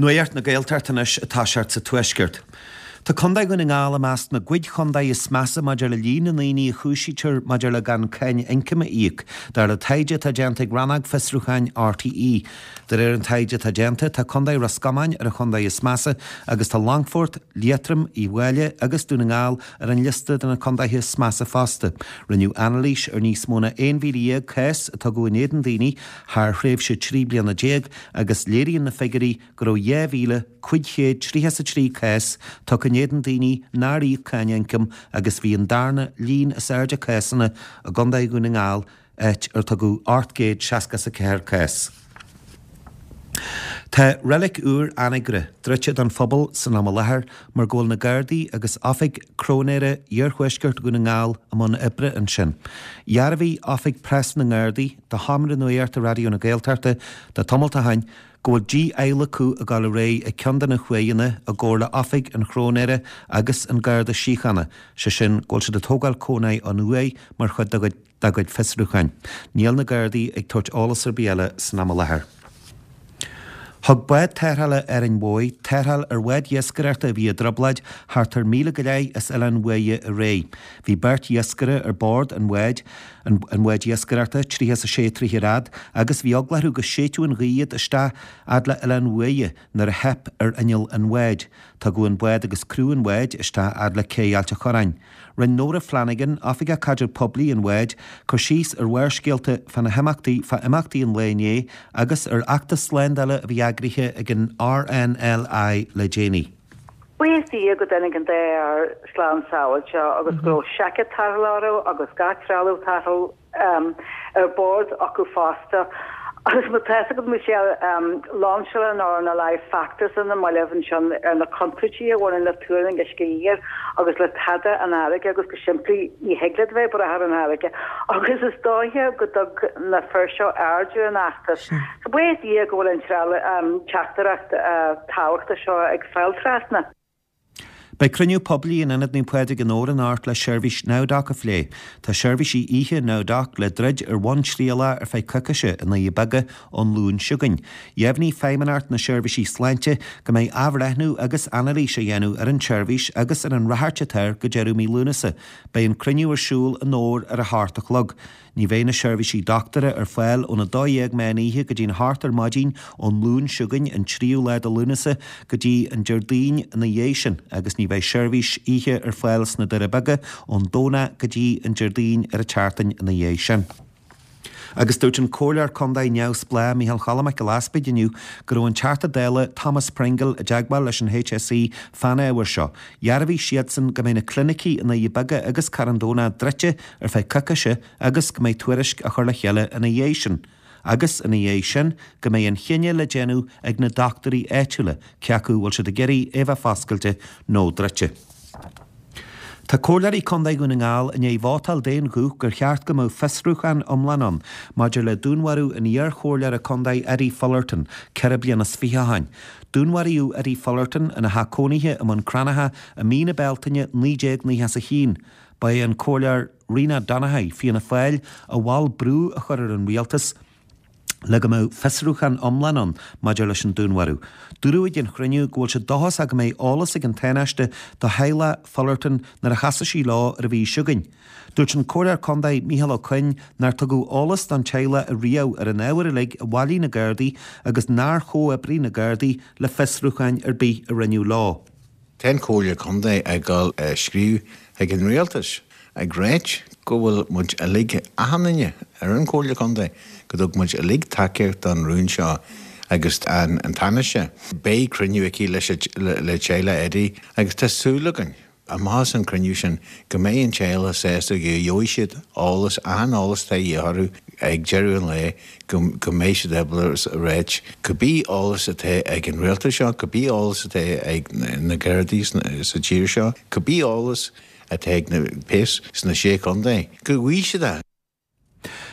Nuacht na Gaeltachta anois ag toiseacht sa Tuaisceart. Tá Contae Dhún na nGall i measc na gcuid chontae is measa maidir le líon na ndaoine a chúisítear maidir le gan cáin ioncaim a íoc, dar le taighde atá déanta ag Rannóg Fiosrúcháin RTÉ. De réir an taighde atá déanta, tá Contae Ros Comáin ar an chontae is measa agus tá Longfort, Liatroim, Uíbh Fhailí agus Dún na nGall ar an liosta de na contaetha is measa fosta. Rinneadh anailís ar níos mó ná 11,000 cás a tugadh in éadan daoine thar thréimhse 13 bliana agus léiríonn na figiúirí go raibh 2,533 cás tugtha in éadan daoine nár íoc cáin ioncaim agus bhí an darna líon is airde cásanna i gContae Dhún na nGall, áit ar tugadh 864 cás. Tá Reilig úr Anagaire druidte don phobal san am i láthair mar go bhfuil na Gardaí agus Oifig Cróinéara Iarthuaisceart Dhún na nGall i mbun oibre ansin. Dhearbhaigh Oifig Preas na nGardaí do Sheomra Nuachta Raidió na Gaeltachta tá tamalt ó shin go bhfuil dí-adhlacadh ag dul ar aghaidh ag ceann de na huaigheanna i gcomhar le Oifig an Chróinéara agus an Garda Síochána, sé sin go bhfuil siad ag tógáil cónaí an uaigh mar chuid dá gcuid fiosrúcháin. Níl na Gardaí ag tabhairt eolas ar bith eile san am i láthair. Thug bád tarrthála Árainn Mhóir tarrtháil ar bhád iascaireachta a bhí i dtrioblóid thart ar mhíle go leith as Oileán Bhuaidhe aréir. Bhí beirt iascaire ar bord an bháid, an bháid iascaireachta, 36 troithe ar fhad, agus bhí eagla orthu go séidfeadh an ghaoth iad isteach fhad le Oileán Bhuaidhe nuair a theip ar inneall an bháid. Tugadh an bád agus criú an bháid isteach fhad le cé Ailt a' Chorráin. Rinne Nóra Flanagan, Oifigeach Caidrimh Poiblí an bháid, cur síos ar Bharrscéalta fá na himeachtaí fá imeachtaí an lae inné agus ar fheachtas slándála a bhí eagraithe ag an RNLI le déanaí. Buíochas Dia go dtáinig an dá fhear slán sábháilte agus go raibh seaicéad tarrthála orthu agus gach trealamh tarrthála ar bord acu fosta. Agus má tá fhios agat, Michelle, lainseáil an RNLI feachtas ar na mallaibh ansin ar na contúirtí a bhaineann le tuarlaincín uisce oighir agus le tada an fharraige agus go simplí ní thig leat bheith ag brath ar an fharraige agus is dóiche go dtug na fir seo aird ar an fheachtas. So buíochas Dia go bhfuil an teachtaireacht tábhachtach seo ag fáil trasna. Beidh cruinniú poiblí in Ionad Naomh Pádraig i nDobhar anocht le seirbhís NowDoc a phlé. Tá seirbhísí oíche NowDoc le druid ar bhonn trialach ar feadh coicíse i nDoirí Beaga ón Luan seo chugainn. Dheimhnigh Feidhmeannacht na Seirbhísí Sláinte go mbeidh athbhreithniú agus anailís á dhéanamh ar an tseirbhís agus ar an ráchairt atá air go deireadh mí Lúnasa. Beidh an cruinniú ar siúl i nDobhar ar a hocht a chlog. Ní bheidh na seirbhísí dochtúra ar fáil ón 12 meán oíche go dtí'n hocht ar maidin ón Luan seo chugainn, an tríú lá de Lúnasa, go dtí an Déardaoin ina dhiaidh sin agus ní bheidh seirbhís oíche ar fáil sna Doirí Beaga ón Domhnach go dtí an Déardaoin ar an tseachtain ina dhiaidh sin. Agus dúirt an Comhairleoir Contae neamhspleách Micheál Choilm Mac Giolla Easpaig inniu go raibh an Teachta Dála Thomas Pringle i dteagmháil leis an HSE fán ábhar seo. Dhearbhaigh siadsan go mbeidh na clinicí i nDoirí Beaga agus Carn Domhnach druidte ar feadh coicíse agus go mbeidh tuairisc á chur le chéile ina dhiaidh sin, agus ina dhiaidh sin go mbeidh an chinneadh le déanamh ag na dochtúirí áitiúla cé acu bhfuil siad ag iarraidh é bheith foscailte nó druidte. Tá Comhairleoirí Contae Dhún na nGall i ndiaidh vótáil d'aon ghuth gur cheart go mbeadh fiosrúchán iomlán ann maidir le dúnmharú an iar-chomhairleora contae Eddie Fullerton 24 bliana ó shin. Dúnmharaíodh Eddie Fullerton ina theach cónaithe i mBun Cranncha i mí na Bealtaine 1991. Ba é an Comhairleoir Rena Donaghey, Fianna Fáil, a mhol brú a chur ar an rialtas le go mbeadh fiosrúchán iomlán ann maidir leis an dúnmharú. Dúradh ag an chruinniú go bhfuil sé dóchasach go mbeidh eolas ag an Tánaiste do theaghlach Fullerton nuair a chasfaidh sí leo ar an mhí seo chugainn. Dúirt an Comhairleoir Contae Micheál Ó Coinn nár tugadh eolas don teaghlach ariamh ar an ábhar uilig a bhailigh na Gardaí agus nár chomhoibrigh na Gardaí le fiosrúcháin ar bith a rinneadh leo. Tá an Chomhairle Contae ag dul a scríobh chuig an Rialtas ag ráit go bhfuil muid uilig, achan duine ar an Chomhairle Contae, go dtug muid uilig tacaíocht don rún seo agus an Tánaiste. Beidh cruinniú aici le teaghlach Eddie agus tá súil againn amach as an cruinniú sin go mbeidh an teaghlach sásta go gheobhaidh siad eolas, achan eolas atá de dhíth orthu ag deireadh an lae go go mbeidh siad ábalta a ráit cibé eolas atá ag an rialtas seo, cibé eolas atá ag na Gardaí sa tír seo, cibé eolas atá ag na péas sna Sé Chontae, go bhfaighidh siad é.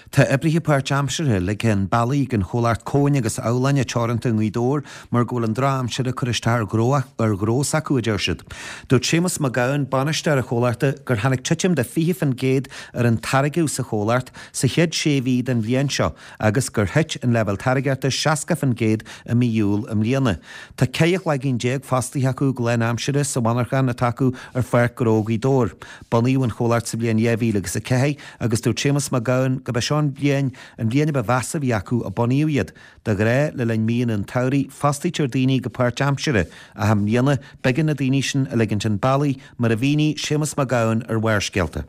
Tá oibrithe páirtaimseartha ligthe chun bealaigh ag an chomhlacht Cóin agus Abhláine Teoranta i nGaoth Dobhair mar go bhfuil an drochaimsir ag cur isteach ar ar ghnó s'acu, a deir siad. Dúirt Séamus Mac Gabhann, bainisteoir an chomhlachta, gur tháinig titim de 20% ar an táirgeadh sa chomhlacht sa chéad sé mhí den bhliain seo agus gur thit an leibhéal táirgeachta 60% i mí Iúil i mbliana. Tá 14 chloigeann fostaithe acu go lánaimseartha sa mhonarchan atá acu ar Pháirc Ghnó Ghaoth Dobhair. Bunaíodh an chomhlacht sa bhliain 2004 agus dúirt Séamus Mac Gabhann go b'é seo an bhliain an bhliain a ba mheasa a bhí acu ó bunaíodh iad. De ghnáth, le linn míonna an tsamhraidh, fostaítear daoine go páirtaimseartha, ach i mbliana, b'éigean na daoine sin a ligint chun bealaigh, mar a mhínigh Séamus Mac Gabhann ar Bharrscéalta.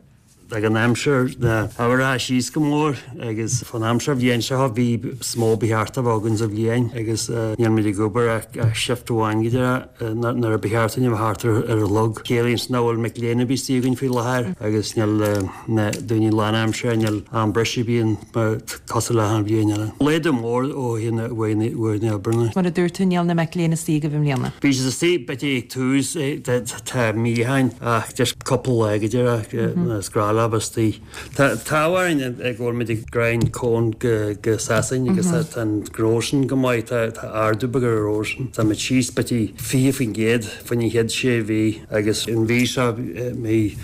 Ag an aimsir na huimhreacha síos go mór agus fán aimsir bhliain seo bhí is mó ba cheart a bheith againn sa bhliain agus níl muid ag obair ach shift amháin go deireadh nuair a ba cheart dúinn a bheith thart ar an chlog. Ciallaíonn sin nach bhfuil mic léinn ar bith istigh againn faoi láthair agus níl na daoine lánaimseartha, níl am briseadh ar bith ann mar cosúil le achan bhliain eile. Laghdú mór ó thaobh na uaireanta oibre. Mar a dúirt tú níl na mic léinn istigh agaibh i mbliana. Bhí siad istigh b'fhéidir ag tús Tá mí ó shin ach just cúpla lá go díreach is gnách leo istigh. Tá t-ádh orainn go bhfuil muid ag greim cón go Sasain agus tá an gnó sin go maith, tá ardú beag ar an ghnó sin. Tá muid síos b'fhéidir 20% faoin chéad sé mhí agus an mhí seo, mí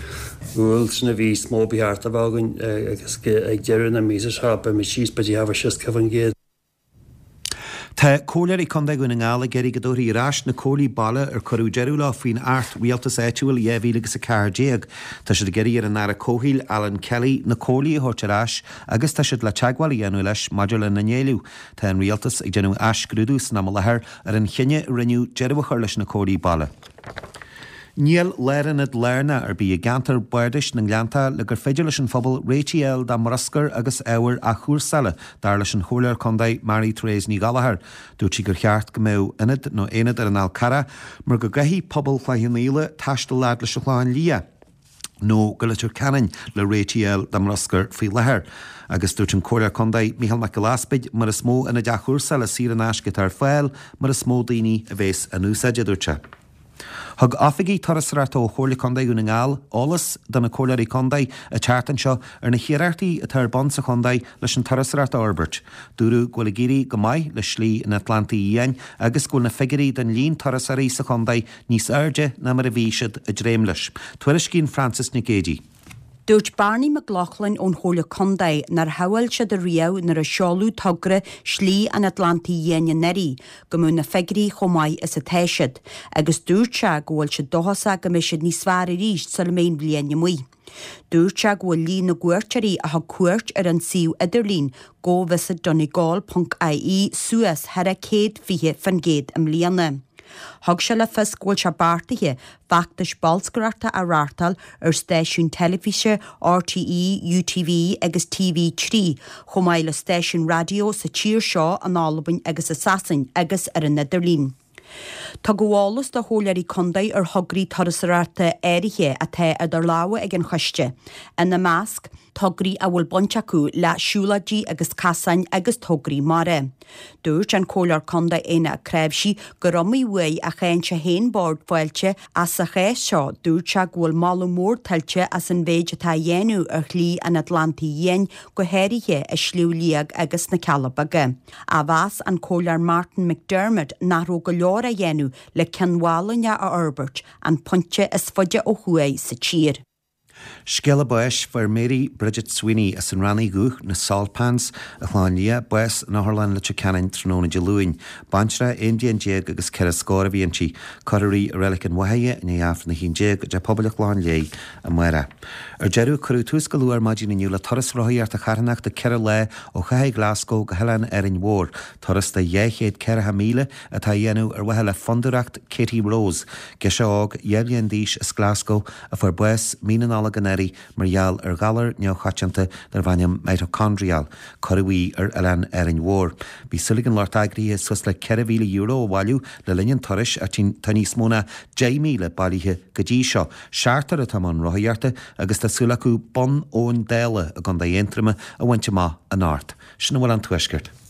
Iúil, sin an mhí is mó ba cheart a bheith againn agus ag deireadh na míosa seo beidh muid síos b'fhéidir 60%. Tá Comhairleoirí Contae Dhún na nGall ag iarraidh go dtabharfaí ar ais na Comhairlí Baile ar cuireadh deireadh leo faoin Acht Rialtais Áitiúil 2014. Tá siad ag iarraidh ar an Aire Comhshaoil, Alan Kelly, na Comhairlí a thabhairt ar ais agus tá siad le teagmháil a dhéanamh leis maidir lena n-éileamh. Tá an Rialtas ag déanamh athscrúdú san am i láthair ar an chinneadh a rinneadh deireadh a chur leis na Comhairlí Baile. Níl lárionad lárnach ar bith i gceantar bardais na nGleanntach le gur féidir leis an phobal réitigh a fháil dá mbruscar agus ábhair athchúrsála, dar leis an Chomhairleoir Contae Mary Therese Ní Ghallchóir. Dúirt sí gur cheart go mbeadh ionad nó aonad ar an Fhál Carrach mar go gcaithfidh pobal Chloich Cheann Fhaola taisteal fhad leis an Chlochán Liath nó go Leitir Ceanainn le réitigh a fháil dá mbruscar faoi láthair. Agus dúirt an Comhairleoir Contae Mícheál Mac Giolla Easpaig mar is mó ionaid athchúrsála saor in aisce atá ar fáil, mar is mó daoine a bhéas á n-úsáid, a dúirt sé. Thug oifigigh turasóireachta ó Chomhairle Contae Dhún na nGall eolas do na Comhairleoirí Contae an tseachtain seo ar na hiarrachtaí atá ar bun sa chontae leis an turasóireacht a fhorbairt. Dúradh go bhfuil ag éirí go maith le Slí an Atlantaigh Fhiáin agus go bhfuil na figiúirí don líon turasóirí sa chontae níos airde ná mar a bhí siad ag dréim leis. Tuairiscíonn Frances Nic Géadaigh. Dúirt Barney McLaughlin ón Chomhairle Contae nár shamhail siad ariamh nuair a seoladh togra Slí an Atlantaigh Fhiáin anuraidh go mbeadh na figiúirí chomh maith is atá siad agus dúirt sé go bhfuil siad dóchasach go mbeidh siad níos fearr arís sula mbeidh an bhliain amuigh. Dúirt sé go bhfuil líon na gcuairteoirí a thug cuairt ar an suíomh idirlín govisitdonegal ponc ie suas thar 120% i mbliana. Thug sé le fios go bhfuil sé beartaithe feachtais bolscaireachta a reáchtáil ar stáisiúin teilifíse RTÉ, UTV agus TV3, chomh maith le stáisiúin raidió sa tír seo, in Albain agus i Sasain, agus ar an idirlíon. Tugadh eolas do chomhairleoirí contae ar thograí turasóireachta áirithe atá idir lámha ag an choiste, ina measc, tograí a bhfuil baint acu le siúlóidí agus casáin agus tograí mara. Dúirt an Comhairleoir Contae Éanna Ó Cnáimhsí gur iomaí uair a cháin sé féin Bord Fáilte ach sa chás seo dúirt sé go bhfuil moladh mór tuillte as an mhéid atá á dhéanamh ar Shlí an Atlantaigh Fhiáin go háirithe i Sliabh Liag agus sna Cealla Beaga. Ach mheas an Comhairleoir Martin McDermott nach raibh go leor á dhéanamh le Cionn Mhálanna a fhorbairt, an pointe is faide ó thuaidh sa tír. Scéala báis, Fuair Mary Bridget Sweeney as an Ránaigh Dhubh, na Salt Pans, an Clochán Liath, bás in Otharlann Leitir Ceanainn tráthnóna Dé Luain. Baintreach aon bhliain déag agus ceithre scór a bhí inti. Cuirfear í i Reilig an Bháthaidhe i ndiaidh Aifreann a 11 i dTeach Pobail an Chlocháin Léith amárach. Ar deireadh, cuireadh tús go luath ar maidin inniu le turas rothaíochta charthanachta 4 lá ó chathair Glasgow go hOileán Árainn Mhór, turas de 240 míle atá á dhéanamh ar mhaithe le Fondúireacht Katie Rose, girseach óg 12 bhliain d'aois as Glasgow a fuair bás mí na Nollag anuraidh mar gheall ar ghalar neamhchoitianta darb ainm mitochondrial. Cuireadh í ar oileán Árainn Mhór. Bhí súil ag an lucht eagraithe suas le €4,000 a bhailiú le linn an turais ach tá níos mó ná 10,000 bailithe go dtí seo. Seachtar atá i mbun rothaíochta agus tá súil acu Bun Abhann Dála i gContae Aontroma a bhaint amach anocht. Sin a bhfuil ón Tuaisceart.